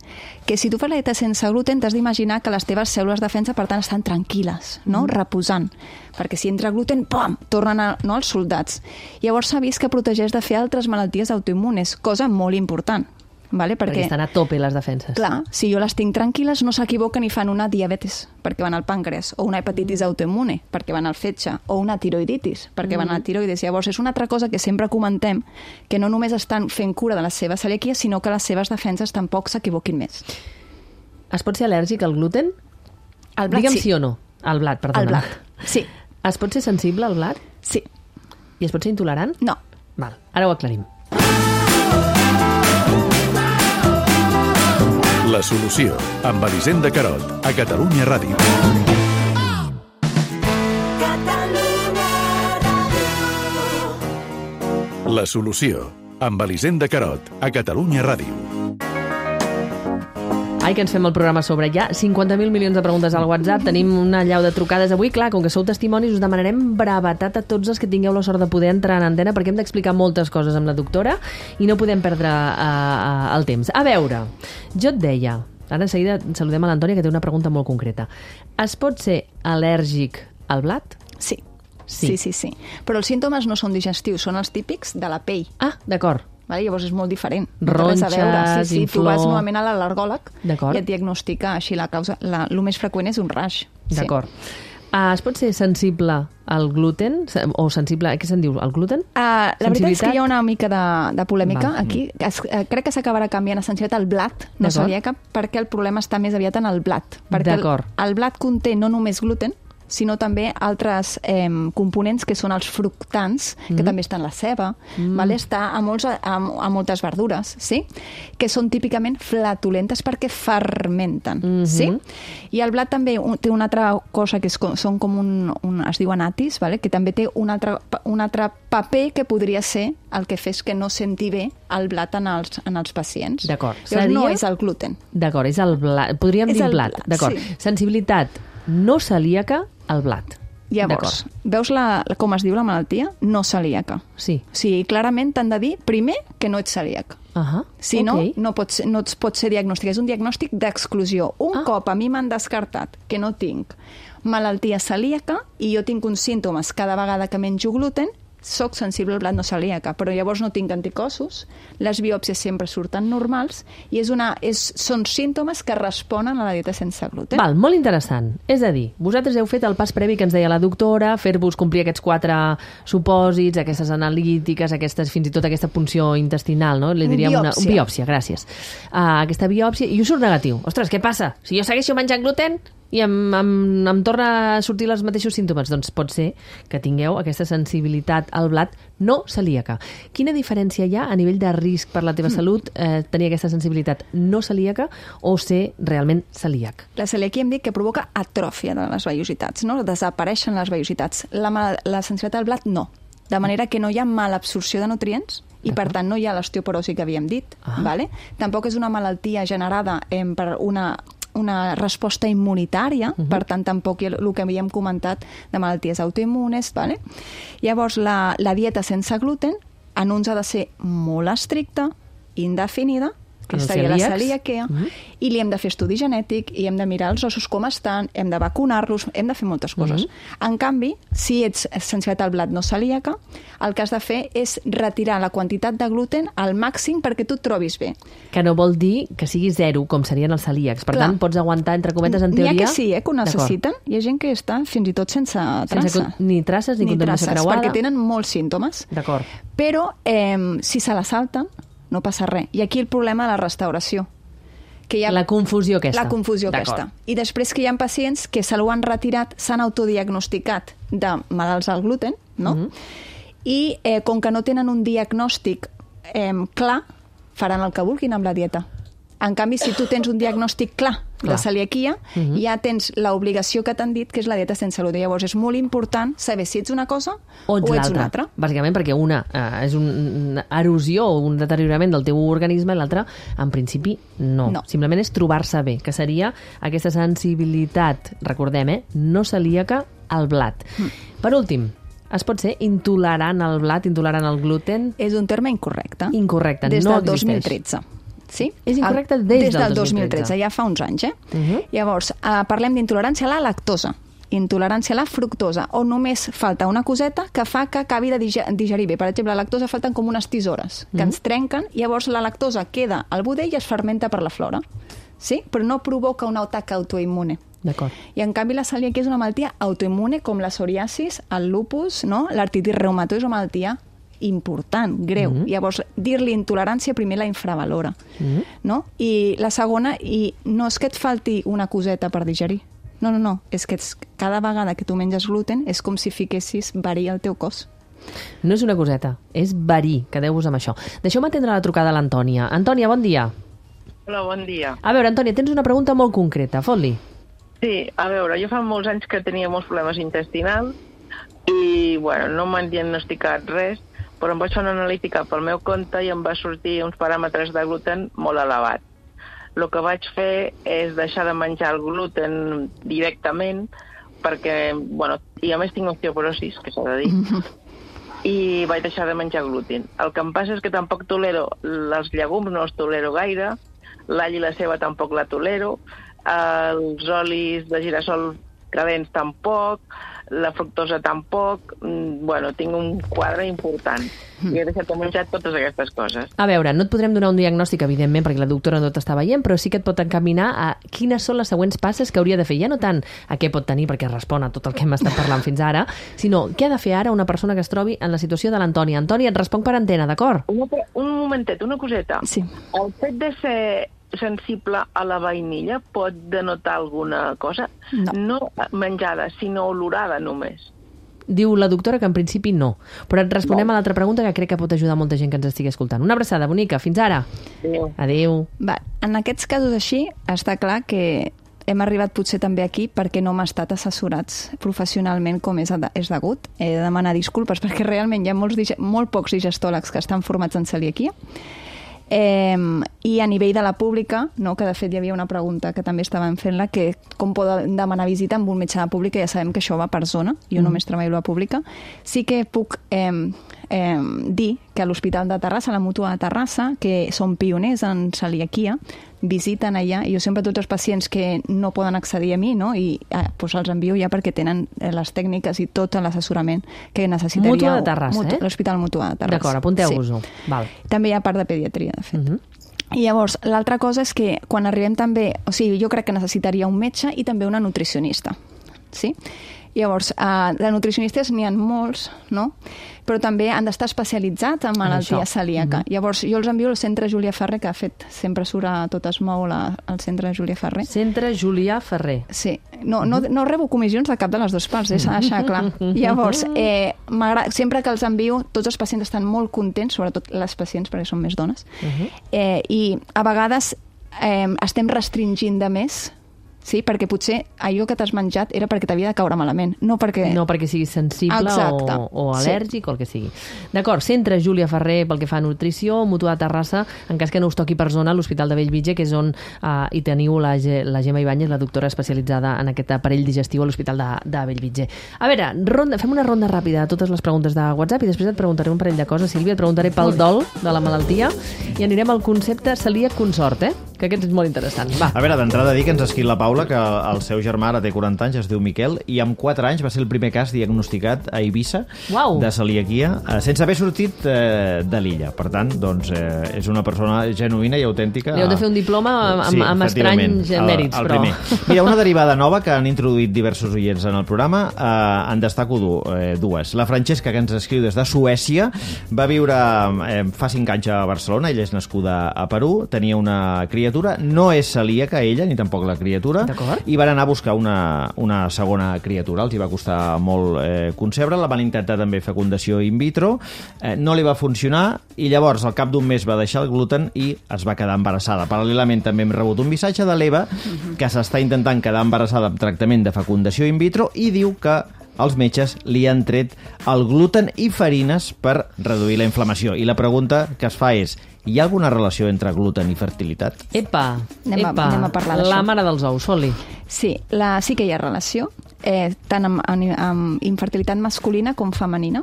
que si tu fas la dieta sense gluten, t'has d'imaginar que les teves cèl·lules de defensa, per tant, estan tranquil·les, no? Mm. Reposant. Perquè si entra gluten, pam, tornen a, no, als soldats. Llavors s'ha vist que protegeix de fer altres malalties autoimmunes, cosa molt important. Vale? Perquè, perquè estan a tope les defenses. Clar, si jo les tinc tranquil·les, no s'equivoquen i fan una diabetes, perquè van al pàncreas, o una hepatitis autoimmune, perquè van al fetge, o una tiroiditis, perquè mm. van a la tiroides. Llavors, és una altra cosa que sempre comentem, que no només estan fent cura de la seva celiaquia, sinó que les seves defenses tampoc s'equivoquin més. Es pot ser al·lèrgic al gluten? Al blat, Digue'm sí. sí o no. Al blat, perdona. Al blat, sí. Es pot ser sensible al blat? Sí. I es pot ser intolerant? No. Val, ara ho aclarim. La solució, amb Elisenda Carot, a Catalunya Ràdio. La solució, amb Elisenda Carot, a Catalunya Ràdio. Ai, que ens fem el programa sobre ja. cinquanta mil milions de preguntes al WhatsApp. Tenim una llau de trucades avui. Clar, com que sou testimonis, us demanarem brevetat a tots els que tingueu la sort de poder entrar en antena, perquè hem d'explicar moltes coses amb la doctora i no podem perdre uh, uh, el temps. A veure, jo et deia, ara de seguida saludem a l'Antònia, que té una pregunta molt concreta. Es pot ser al·lèrgic al blat? Sí. Sí. sí, sí, sí. Però els símptomes no són digestius, són els típics de la pell. Ah, d'acord. Vale? Llavors és molt diferent. Ronxes, sí, sí, inflor... Tu vas normalment a l'al·lergòleg i et diagnostica així la causa. La, el més freqüent és un rash. D'acord. Sí. Uh, es pot ser sensible al gluten? O sensible... Què se'n diu? Al gluten? Uh, la veritat és que hi ha una mica de, de polèmica Val. aquí. Es, uh, crec que s'acabarà canviant a sensibilitat al blat, no celíaca, perquè el problema està més aviat en el blat. Perquè el, el blat conté no només gluten, sinó també altres eh, components que són els fructans, que mm. també estan la ceba, mm. vale? Està a, molts, a, a moltes verdures, sí? Que són típicament flatulentes perquè fermenten. Mm-hmm. Sí? I el blat també un, té una altra cosa que és, són com un, un, es diu anatis, vale? Que també té un altre, un altre paper que podria ser el que fes que no senti bé el blat en els, en els pacients. D'acord. Seria... No és el gluten. D'acord, és el blat. Podríem és dir blat. blat. D'acord. Sí. Sensibilitat no celíaca al blat. Llavors, veus la, com es diu la malaltia? No celíaca. Sí. Sí, clarament t'han de dir, primer, que no ets celíac. Uh-huh. Si okay. no, no, pots, no et pot ser diagnòstic. És un diagnòstic d'exclusió. Un ah. cop a mi m'han descartat que no tinc malaltia celíaca i jo tinc uns símptomes cada vegada que menjo gluten, soc sensible al blat no celíaca, però llavors no tinc anticossos, les biòpsies sempre surten normals i és una, és, són símptomes que responen a la dieta sense gluten. Val, molt interessant. És a dir, vosaltres heu fet el pas previ que ens deia la doctora, fer-vos complir aquests quatre supòsits, aquestes analítiques, aquestes, fins i tot aquesta punció intestinal, no? Li diríem biòpsia. Una, una biòpsia, gràcies. Uh, aquesta biòpsia, i us surt negatiu. Ostres, què passa? Si jo segueixo menjant gluten i em, em, em torna a sortir els mateixos símptomes, doncs pot ser que tingueu aquesta sensibilitat al blat no celíaca. Quina diferència hi ha a nivell de risc per la teva mm. salut eh, tenir aquesta sensibilitat no celíaca o ser realment celíac? La celiaquia hem dit que provoca atròfia de les vellositats, no? Desapareixen les vellositats. La, la sensibilitat al blat no. De manera que no hi ha malabsorció de nutrients i per tant no hi ha l'osteoporosi que havíem dit. Ah. Vale? Tampoc és una malaltia generada eh, per una una resposta immunitària, uh-huh. per tant, tampoc hi ha el que havíem comentat de malalties autoimmunes. Vale? Llavors, la, la dieta sense gluten en uns ha de ser molt estricta, indefinida, que seria la celiaquia, uh-huh. i li hem de fer estudi genètic, i hem de mirar els ossos com estan, hem de vacunar-los, hem de fer moltes coses. Uh-huh. En canvi, si ets sensibilitat al blat no celíaca, el que has de fer és retirar la quantitat de gluten al màxim perquè tu et trobis bé. Que no vol dir que sigui zero, com serien els celíacs. Per Clar. tant, pots aguantar, entre cometes, en teoria... N'hi ha que sí, eh, que ho necessiten. Hi ha gent que està fins i tot sense traça. Sense ni traces ni, ni contaminació creuada. Perquè tenen molts símptomes. D'acord. Però eh, si se la salten, no passa res. I aquí el problema de la restauració. Que hi ha... La confusió aquesta. La confusió aquesta. I després que hi ha pacients que se l'ho han retirat, s'han autodiagnosticat de malalts al gluten, no? Mm-hmm. I eh, com que no tenen un diagnòstic eh, clar, faran el que vulguin amb la dieta. En canvi, si tu tens un diagnòstic clar, clar. de celiaquia, uh-huh. ja tens l'obligació que t'han dit, que és la dieta sense gluten. Llavors, és molt important saber si ets una cosa o ets, o ets una altra. Bàsicament perquè una eh, és una erosió o un deteriorament del teu organisme i l'altra, en principi, no. no. Simplement és trobar-se bé, que seria aquesta sensibilitat, recordem, eh, no celíaca al blat. Mm. Per últim, es pot ser intolerant al blat, intolerant al gluten? És un terme incorrecte. Incorrecte, Des no del existeix. dos mil tretze. Sí? És incorrecte des, des del dos mil tretze. Ja fa uns anys, eh? Uh-huh. Llavors, eh, parlem d'intolerància a la lactosa, intolerància a la fructosa, on només falta una coseta que fa que acabi de digerir bé. Per exemple, a la lactosa falten com unes tisores que uh-huh. ens trenquen, llavors la lactosa queda al budell i es fermenta per la flora. Sí? Però no provoca un atac autoimmune. D'acord. I en canvi la celiaquia és una malaltia autoimmune com la psoriasis, el lupus, no? L'artritis reumatoide és una malaltia important, greu. Mm-hmm. Llavors, dir-li intolerància primer la infravalora. Mm-hmm. No? I la segona, i no és que et falti una coseta per digerir. No, no, no. És que ets, cada vegada que tu menges gluten és com si fiquessis verí al teu cos. No és una coseta, és verí. Quedeu-vos amb això. Deixeu-me atendre la trucada a l'Antònia. Antònia, bon dia. Hola, bon dia. A veure, Antònia, tens una pregunta molt concreta. Fot-li. Sí, a veure, jo fa molts anys que tenia molts problemes intestinals i, bueno, no m'han diagnosticat res, però em vaig fer una analítica pel meu compte i em va sortir uns paràmetres de gluten molt elevats. El que vaig fer és deixar de menjar el gluten directament perquè, bueno, i a més tinc osteoporosis, que s'ha de dir, i vaig deixar de menjar gluten. El que em passa és que tampoc tolero els llegums, no els tolero gaire, l'all i la ceba tampoc la tolero, els olis de girassol calents tampoc, la fructosa tampoc, bueno, tinc un quadre important. I he deixat de menjar totes aquestes coses. A veure, no et podrem donar un diagnòstic, evidentment, perquè la doctora no t'està veient, però sí que et pot encaminar a quines són les següents passes que hauria de fer. Ja no tant a què pot tenir, perquè respon a tot el que hem estat parlant fins ara, sinó què ha de fer ara una persona que es trobi en la situació de l'Antònia. Antònia, et responc per antena, d'acord? Un, un momentet, una coseta. Sí. El fet de ser sensible a la vainilla pot denotar alguna cosa? No. No menjada, sinó olorada només. Diu la doctora que en principi no. Però et responem no. a l'altra pregunta que crec que pot ajudar molta gent que ens estigui escoltant. Una abraçada, bonica. Fins ara. Adéu. Adéu. Va, en aquests casos així, està clar que hem arribat potser també aquí perquè no hem estat assessorats professionalment com és, és degut. He de demanar disculpes perquè realment hi ha molts, molt pocs digestòlegs que estan formats en celiaquia. Eh, i a nivell de la pública, no, que de fet hi havia una pregunta que també estàvem fent-la, que com poden demanar visita amb un metge de pública, ja sabem que això va per zona, jo mm. només treballo a la pública. Sí que puc eh, eh, dir que a l'Hospital de Terrassa, a la Mútua de Terrassa, que són pioners en celiaquia, visiten allà, i jo sempre tots els pacients que no poden accedir a mi, no? I eh, doncs els envio ja perquè tenen les tècniques i tot l'assessorament que necessitaria. Mútua de Terrassa, Mutu, eh? L'Hospital Mútua de Terrassa. D'acord, apunteu-vos-ho. Sí. Val. També hi ha part de pediatria, de fet. Uh-huh. I llavors, l'altra cosa és que quan arribem també, o sigui, jo crec que necessitaria un metge i també una nutricionista, sí? Llavors, eh, de nutricionistes n'hi ha molts, no? Però també han d'estar especialitzats en malaltia celíaca. Mm-hmm. Llavors, jo els envio al Centre Julià Ferrer, que ha fet, sempre surt a Tot es mou la, al Centre Julià Ferrer. Centre Julià Ferrer. Sí. No, no, no rebo comissions de cap de les dues parts, eh? S'ha de deixar clar. Llavors, eh, sempre que els envio, tots els pacients estan molt contents, sobretot les pacients, perquè són més dones, uh-huh. eh, i a vegades eh, estem restringint de més, sí? Perquè potser allò que t'has menjat era perquè t'havia de caure malament, no perquè... No perquè siguis sensible o, o al·lèrgic sí. o el que sigui. D'acord, centre Júlia Ferrer pel que fa a nutrició, Mutua de Terrassa, en cas que no us toqui per zona, l'Hospital de Bellvitge, que és on eh, hi teniu la, la Gemma Ibáñez, la doctora especialitzada en aquest aparell digestiu a l'Hospital de, de Bellvitge. A veure, ronda, fem una ronda ràpida de totes les preguntes de WhatsApp i després et preguntaré un parell de coses. Sílvia, et preguntaré pel dol de la malaltia i anirem al concepte celíac consort, eh? Que aquest és molt interessant. Va. A veure, d'entrada dir que ens ha escrit la Paula que el seu germà ara té quaranta anys, es diu Miquel, i amb quatre anys va ser el primer cas diagnosticat a Eivissa Uau. de celiaquia, eh, sense haver sortit eh, de l'illa. Per tant, doncs, eh, és una persona genuïna i autèntica. Li heu de fer un diploma amb, sí, amb estranys mèrits, el, el però... Primer. Mira, una derivada nova que han introduït diversos oients en el programa, eh, en destaco du, eh, dues. La Francesca, que ens escriu des de Suècia, va viure eh, fa cinc anys a Barcelona, ella és nascuda a Perú, tenia una criatura, no és celíaca ella, ni tampoc la criatura, i van anar a buscar una, una segona criatura. Els hi va costar molt eh, concebre, la van intentar també fecundació in vitro, eh, no li va funcionar, i llavors al cap d'un mes va deixar el gluten i es va quedar embarassada. Paral·lelament també hem rebut un missatge de l'Eva, que s'està intentant quedar embarassada amb tractament de fecundació in vitro i diu que els metges li han tret el gluten i farines per reduir la inflamació. I la pregunta que es fa és: hi ha alguna relació entre gluten i fertilitat? Epa, anem a, epa, anem a parlar d'això. La mare dels ous, Soli. Sí, la, sí que hi ha relació, eh, tant amb, amb, amb infertilitat masculina com femenina.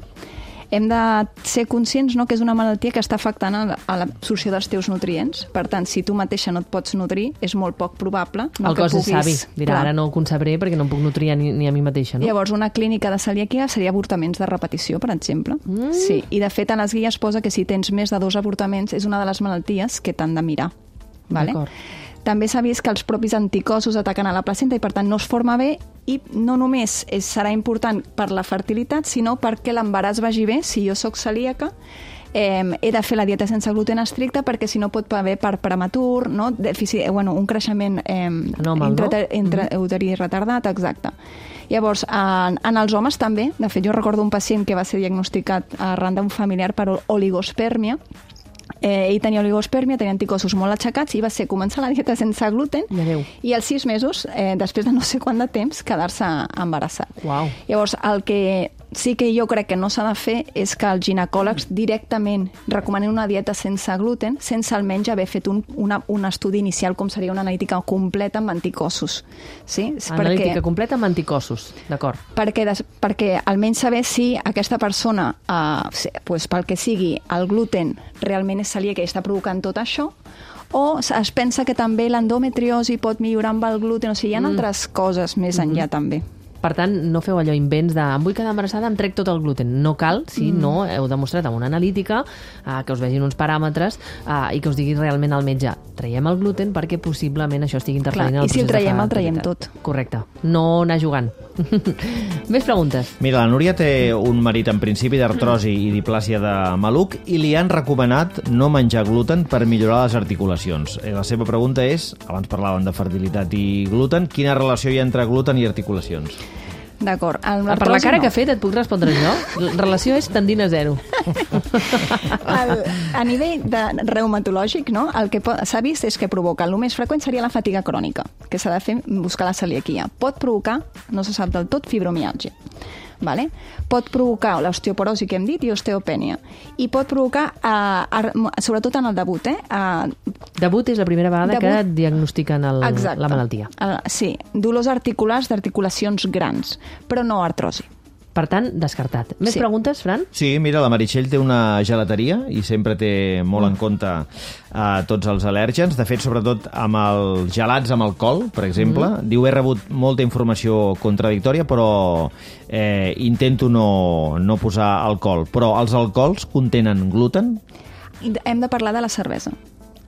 Hem de ser conscients, no?, que és una malaltia que està afectant a l'absorció dels teus nutrients. Per tant, si tu mateixa no et pots nutrir, és molt poc probable, no, el que cos puguis... és savi. Dirà, ara no ho concebré perquè no em puc nutrir ni, ni a mi mateixa, no? Llavors, una clínica de celiaquia seria avortaments de repetició, per exemple. Mm. Sí, i de fet, a les guies posa que si tens més de dos avortaments és una de les malalties que t'han de mirar. Vale? També s'ha vist que els propis anticossos ataquen a la placenta i, per tant, no es forma bé, i no només és, serà important per la fertilitat, sinó perquè l'embaràs vagi bé. Si jo sóc celíaca, eh, he de fer la dieta sense gluten estricta, perquè si no pot haver part prematur, no? Dèficit, eh, bueno, un creixement eh, Anòmal, entre, no? entre Mm-hmm. uterí retardat, exacte. Llavors, en, en els homes també, de fet, jo recordo un pacient que va ser diagnosticat arran d'un familiar per oligospermia. Eh, ell tenia oligospermia, tenia anticossos molt aixecats i va ser començar la dieta sense gluten i als sis mesos, eh, després de no sé quant de temps, quedar-se embarassat. Uau. Llavors, el que sí que jo crec que no s'ha de fer és que els ginecòlegs directament recomanen una dieta sense gluten, sense almenys haver fet un, una, un estudi inicial, com seria una analítica completa amb anticossos. Sí? Analítica perquè, completa amb anticossos, d'acord. perquè, des, perquè almenys saber si aquesta persona, eh, pues, pel que sigui, el gluten realment és celíaca i està provocant tot això, o es pensa que també l'endometriosi pot millorar amb el gluten, o sigui, hi ha mm. altres coses més enllà mm-hmm. també. Per tant, no feu allò invents de em vull quedar embarassada, em trec tot el gluten. No cal, si mm. no heu demostrat amb una analítica eh, que us vegin uns paràmetres eh, i que us digui realment el metge traiem el gluten perquè possiblement això estigui interferint en el procés de fertilitat. I si el traiem, el traiem tot. Correcte. No anar jugant. Més preguntes. Mira, la Núria té un marit en principi d'artrosi i diplàsia de maluc i li han recomanat no menjar gluten per millorar les articulacions. La seva pregunta és, abans parlàvem de fertilitat i gluten, quina relació hi ha entre gluten i articulacions? D'acord. Per la cara no. que ha fet et puc respondre jo. La relació és tendint a zero. el, a nivell de reumatològic, no? El que s'ha vist és que provoca, el més freqüent seria la fatiga crònica, que s'ha de fer buscar la celiaquia. Pot provocar, no se sap del tot, fibromiàlgia. Vale? Pot provocar l'osteoporosi que hem dit i osteopènia. I pot provocar, eh, sobretot en el debut, eh? Eh, debut és la primera vegada debut, que et diagnostiquen el, la malaltia. El, sí, dolors articulars d'articulacions grans, però no artrosi. Per tant, descartat. Més sí. preguntes, Fran? Sí, mira, la Meritxell té una gelateria i sempre té molt en compte uh, tots els al·lèrgens. De fet, sobretot amb els gelats amb alcohol, per exemple. Mm. Diu, he rebut molta informació contradictòria, però eh, intento no, no posar alcohol. Però els alcohols contenen gluten? Hem de parlar de la cervesa.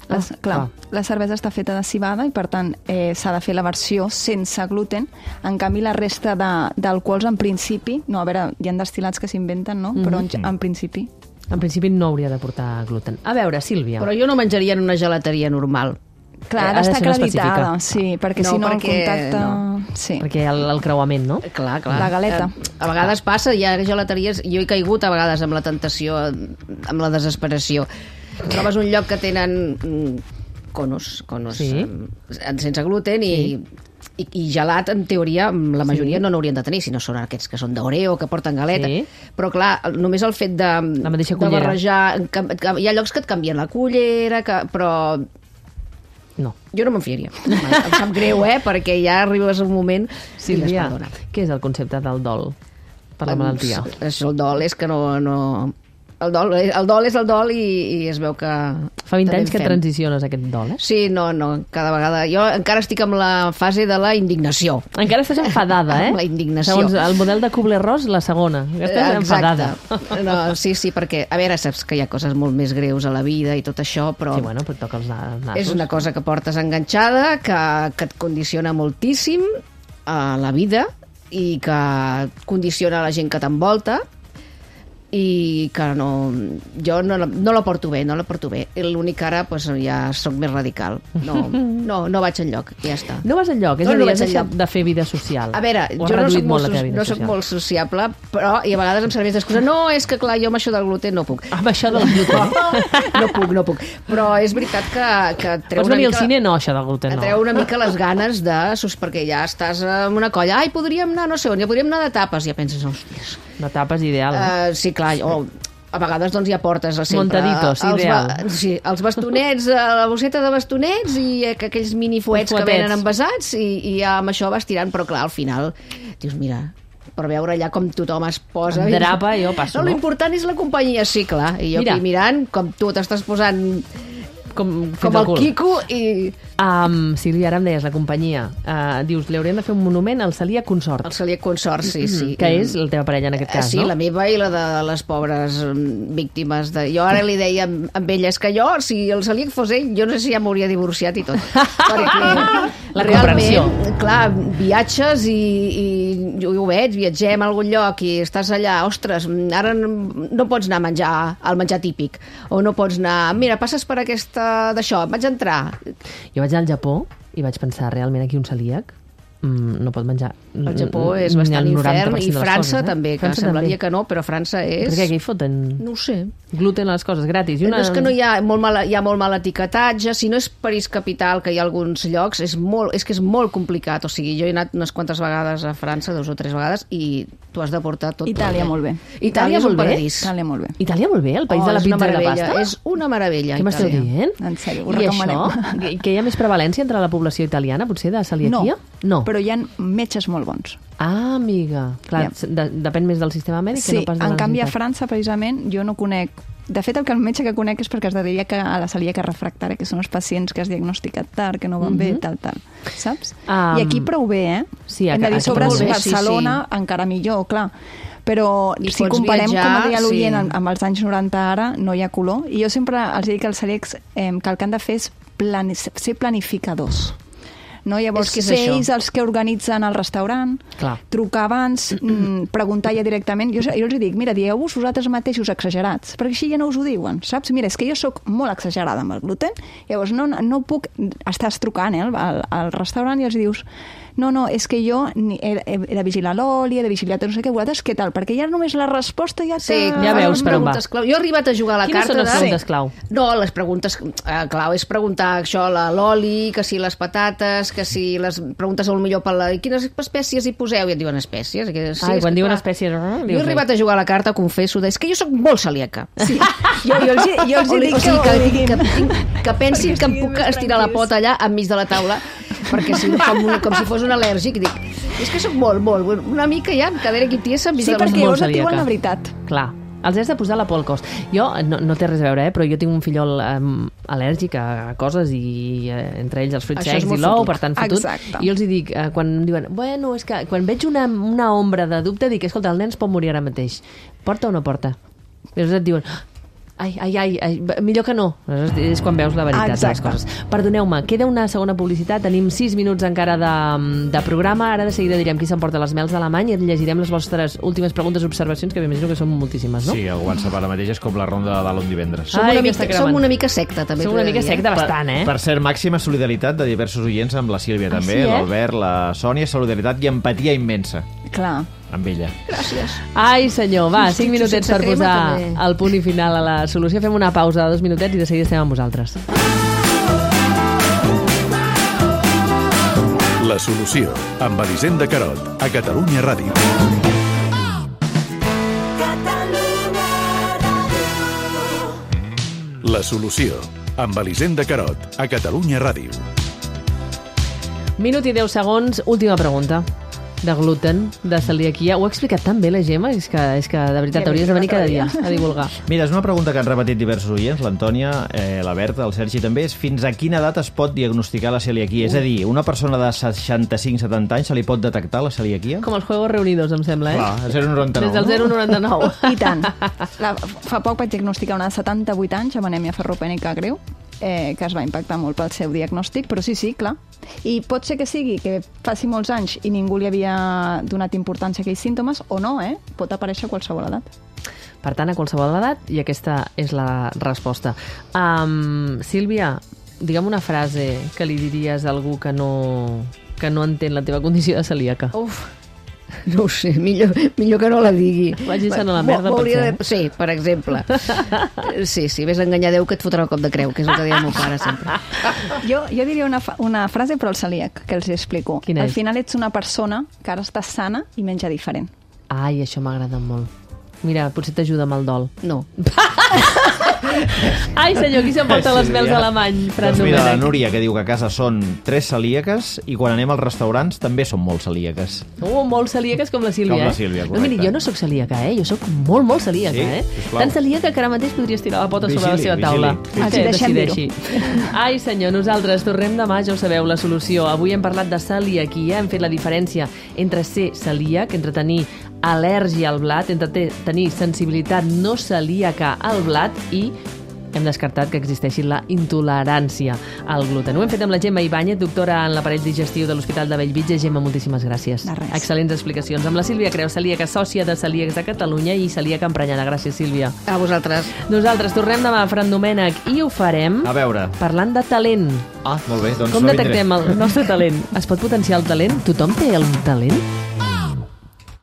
Les, ah, clar, ah. La cervesa està feta de civada i, per tant, eh, s'ha de fer la versió sense gluten. En canvi, la resta d'alcohols, en principi, no, a veure, hi ha destil·lats que s'inventen, no? Mm-hmm. Però en, en principi... En principi no hauria de portar gluten. A veure, Sílvia... Però jo no menjaria en una gelateria normal. Clar, ha d'estar acreditada, sí, perquè no, si no perquè, el contacte... No. Sí. Perquè el, el creuament, no? Clar, clar. La galeta. Eh, a vegades passa, hi ha gelateries... Jo he caigut a vegades amb la tentació, amb la desesperació. Trobes un lloc que tenen conos, conos sí. sense gluten i... Sí. I, i gelat, en teoria, la majoria Sí. no n'haurien de tenir, si no són aquests que són d'Oreo, que porten galeta. Sí. Però, clar, només el fet de, La mateixa de cullera. barrejar... Que, que, hi ha llocs que et canvien la cullera, que, però No. jo no me'n fiaria. Em sap greu, eh? Perquè ja arribes un moment... Sílvia, i perdona. què és el concepte del dol per la malaltia? És el dol, és que no... no... El, dol, el dol és el dol i, i es veu que... Fa vint també anys en que fem. transiciones aquest dol, eh? Sí, no, no, cada vegada... Jo encara estic amb la fase de la indignació. Encara estàs enfadada, eh? Amb la indignació. Segons el model de Kubler-Ross, la segona. Que estàs enfadada. No, sí, sí, perquè, a veure, saps que hi ha coses molt més greus a la vida i tot això, però... Sí, bueno, però et toca els na- nassos. És una cosa que portes enganxada, que, que et condiciona moltíssim a la vida i que condiciona la gent que t'envolta i que no, jo no, la- no la porto bé, no la porto bé. I l'únic que ara pues, ja sóc més radical. No, no, no vaig enlloc, ja està. No vas enlloc, és No, a no dir, vaig has deixat enlloc. de fer vida social. A veure, O has jo no reduït soc, molt, molt la teva vida no soc social. molt sociable, però i a vegades em serveix d'excusa. No, és que clar, jo amb això del gluten no puc. Amb això del gluten. No puc, no puc. Però és veritat que, que et treu Pots una venir mica... al cine? No, això del gluten Et no. treu una mica les ganes de... sus- perquè ja estàs en una colla. Ai, podríem anar, no sé on, ja podríem anar de tapes. I ja penses, hòsties... La tapa és ideal. Eh? Uh, sí, clar, o a vegades doncs ja portes sempre... Montaditos, els ideal. Ba sí, els bastonets, eh, la bosseta de bastonets i eh, que aquells mini fuets que fuetets. venen envasats i, i ja amb això vas tirant, però clar, al final dius, mira, per veure allà com tothom es posa... Em drapa, jo passo, No, no? l'important és la companyia, sí, clar. I jo Mira. aquí mirant com tu t'estàs posant Com, fins com al el cul. Quico i... Um, Sílvia, ara em deies, la companyia. Uh, dius, li hauríem de fer un monument al Celia Consort. El Celia Consort, sí, sí. Que és la teva parella en aquest cas, sí, no? la meva i la de les pobres mm, víctimes. De... Jo ara li deia amb, amb ella, és que jo, si el Celíac fos ell, jo no sé si ja m'hauria divorciat i tot. Perquè La realment, comprensió. clar, viatges i, i jo ho veig, viatgem a algun lloc i estàs allà, ostres, ara no no pots anar a menjar al menjar típic, o no pots anar, mira, passes per aquesta d'això, vaig entrar. Jo vaig anar al Japó i vaig pensar, realment aquí un celíac mm, no pot menjar El Japó mm, és ni bastant el noranta infern per cent i de les França coses, eh? també, que França semblaria també. que no, però França és... Per què? Què hi foten? No ho sé. Gluten a les coses, gratis. I una... No, és que no hi ha molt mal, hi ha molt mal etiquetatge. Si no és París capital, que hi ha alguns llocs, és, molt, és que és molt complicat. O sigui, jo he anat unes quantes vegades a França, dues o tres vegades, i tu has de portar tot. Itàlia, tot molt bé. Itàlia és un molt bé? paradís. Itàlia, molt bé. Itàlia molt bé, el país Oh, de la és una pizza i la meravella, pasta? És una meravella, Què m'esteu Itàlia. dient? En sèrio, ho I recomanem. això? Que- Que hi ha més prevalència entre la població italiana, potser, de No, celiaquia? No. però hi ha metges molt bons. Ah, amiga. Clar, Ja. de, depèn més del sistema mèdic que Sí, no pas de la en canvi a necessitat. França, precisament, jo no conec... De fet, el que el metge que conec és perquè es dedica a la celíaca refractària, que són els pacients que has diagnosticat tard, que no van bé, Mhm. tal, tal. Saps? Um, I aquí prou bé, eh? sí, Hem de dir, aquí sobre prou bé, Barcelona, encara millor, clar. Però I si pots comparem, viatjar, com deia l'oient, sí. amb, amb els anys noranta ara, no hi ha color. I jo sempre els dic als celíacs eh, que el que han de fer és plani ser planificadors. No? Llavors, És que és ser això. ells els que organitzen el restaurant, Clar. trucar abans, mm, preguntar ja directament. Jo, jo els dic, mira, dieu-vos vosaltres mateixos exagerats, perquè així ja no us ho diuen, saps? Mira, és que jo sóc molt exagerada amb el gluten, llavors no, no puc... Estàs trucant eh, al, al restaurant i els dius, no, no, és que jo ni- he, he, he de vigilar l'oli, he de vigilar no sé què, vosaltres què tal? Perquè ja només la resposta ja Sí, te... Ja fan veus unes per on va. preguntes clau. Jo he arribat a jugar a la Quines carta són les de... preguntes clau? No, les preguntes eh, clau és preguntar això, la- l'oli, que si les patates, que si les preguntes al millor per la... Quines espècies hi poseu? I et diuen espècies. Que, sí, Ai, és quan que, diuen clar, espècies... ah, Jo dius he arribat a jugar a la carta, confesso, de, és que jo sóc molt celíaca. Sí. Jo, jo, els, jo els O, dic o sigui, que, que, ho diguin. que, tinc, que pensin Perquè que em estiguin puc més estirar la tranquils. pota allà enmig de la taula, perquè si no, com, un- com si fos un al·lèrgic, dic, és que sóc molt, molt, una mica ja, cadera aquí tiesa, enmig Sí, de les perquè molt llavors et diuen celíaca. la veritat. Clar, els has de posar la por al cos. Jo, no, no té res a veure, eh, però jo tinc un fillol um, al·lèrgic a, a coses i eh, entre ells els fruits Això és secs i molt l'ou, fotut. per tant fotut. Exacte. I jo els hi dic, eh, quan em diuen, bueno, és que quan veig una, una ombra de dubte, dic, escolta, el nen es pot morir ara mateix. Porta o no porta? I llavors et diuen, ai, ai, ai, ai, millor que no. Aleshores és quan veus la veritat de les Exacte. coses. Perdoneu-me, queda una segona publicitat, tenim sis minuts encara de, de programa, ara de seguida direm qui s'emporta les mels d'Alemany i llegirem les vostres últimes preguntes i observacions, que m'imagino que són moltíssimes, no? Sí, el WhatsApp ara mateix és com la ronda de dalt un divendres. Som, Ai, una que està mica, cremant. som una mica secta, també. Som t'ho he una de mica dir, eh? secta bastant, eh? Per cert, màxima solidaritat de diversos oients amb la Sílvia Ah, també, sí, eh? l'Albert, la Sònia, solidaritat i empatia immensa Clar. amb ella. Gràcies. Ai, senyor, va, cinc Sí, minutets sense per crema, posar també. el punt i final a la solució. Fem una pausa de dos minutets i de seguida estem amb vosaltres. La La solució, amb Elisenda Carot, a Catalunya Ràdio. La solució, amb Elisenda Carot, a Catalunya Ràdio. Minut i deu segons, última pregunta. De gluten, de celiaquia. Ho ha explicat tan bé la Gemma, és que, és que de veritat hauries de venir cada dia a divulgar. Mira, és una pregunta que han repetit diversos oients, l'Antònia, eh, la Berta, el Sergi també, és fins a quina edat es pot diagnosticar la celiaquia? Uh. És a dir, una persona de seixanta-cinc setanta anys se li pot detectar la celiaquia? Com els Juegos Reunidos, em sembla, eh? Clar, el zero coma noranta-nou. Des del zero coma noranta-nou. I tant. La, fa poc vaig diagnosticar una de setanta-vuit anys amb anèmia ferropènica greu, eh, que es va impactar molt pel seu diagnòstic, però sí, sí, clar. I pot ser que sigui que faci molts anys i ningú li havia donat importància a aquells símptomes, o no, eh? Pot aparèixer a qualsevol edat. Per tant, a qualsevol edat, i aquesta és la resposta. Um, Sílvia, digue'm una frase que li diries a algú que no, que no entén la teva condició de celíaca. Uf, no ho sé, millor, millor que no la digui. Vagis-se'n a la merda, potser. De... Sí, per exemple. Sí, sí, vés a enganyar Déu que et fotrà un cop de creu, que és el que deia el meu pare sempre. Jo, jo diria una, una frase però al celíac, que els explico. Quina és? Al final ets una persona que ara estàs sana i menja diferent. Ai, això m'agrada molt. Mira, potser t'ajuda amb el dol. No. Ai, senyor, qui s'emporta les mels alemany? Doncs mira, la Núria, que diu que a casa són tres celíaques i quan anem als restaurants també són molt celíaques. Oh, molt celíaques com la Sílvia, com la eh? Sílvia, no, miri, jo no sóc celíaca, eh? Jo sóc molt, molt celíaca, sí? eh? Sisplau. Tan celíaca que ara mateix podries tirar la pota vigili, sobre la seva taula. vigili. Els hi deixem dir-ho. Ai, senyor, nosaltres tornem demà, ja ho sabeu, la solució. Avui hem parlat de celiaquia, hem fet la diferència entre ser celíac, entre tenir al·lèrgia al blat, entre tenir sensibilitat no celíaca al blat i hem descartat que existeixi la intolerància al gluten. Ho hem fet amb la Gemma Ibáñez, doctora en l'aparell digestiu de l'Hospital de Bellvitge. Gemma, moltíssimes gràcies. De res. Excel·lents explicacions. Amb la Sílvia Creu, celíaca, sòcia de Celíacs de Catalunya i celíaca emprenyada. Gràcies, Sílvia. A vosaltres. Nosaltres tornem demà a Fran Domènech i ho farem A veure. parlant de talent. Ah, molt bé, doncs Com no detectem vindré. el nostre talent? Es pot potenciar el talent? Tothom té el talent?